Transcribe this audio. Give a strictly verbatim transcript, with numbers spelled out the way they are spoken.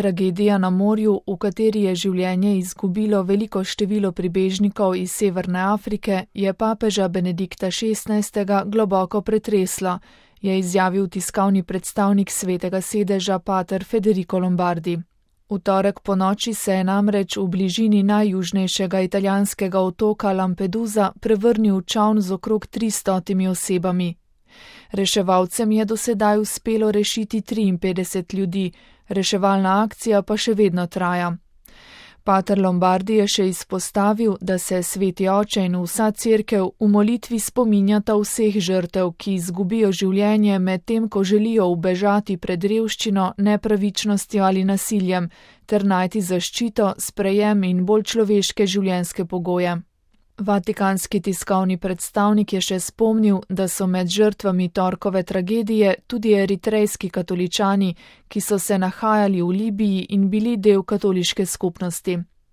Tragedija na morju, v kateri je življenje izgubilo veliko število pribežnikov iz Severne Afrike, je papeža Benedikta šestnajstega globoko pretreslo, je izjavil tiskovni predstavnik Svetega sedeža pater Federico Lombardi. V torek ponoči se je namreč v bližini najjužnejšega italijanskega otoka Lampedusa prevrnil čoln z okrog tristotimi osebami. Reševalcem je do sedaj uspelo rešiti triinpetdeset ljudi, reševalna akcija pa še vedno traja. Pater Lombardi je še izpostavil, da se Sveti oče in vsa cerkev v molitvi spominjata vseh žrtev, ki izgubijo življenje med tem, ko želijo ubežati pred revščino, nepravičnostjo ali nasiljem, ter najti zaščito, sprejem in bolj človeške življenjske pogoje. Vatikanski tiskovni predstavnik je še spomnil, da so med žrtvami torkove tragedije tudi eritrejski katoličani, ki so se nahajali v Libiji in bili del katoliške skupnosti.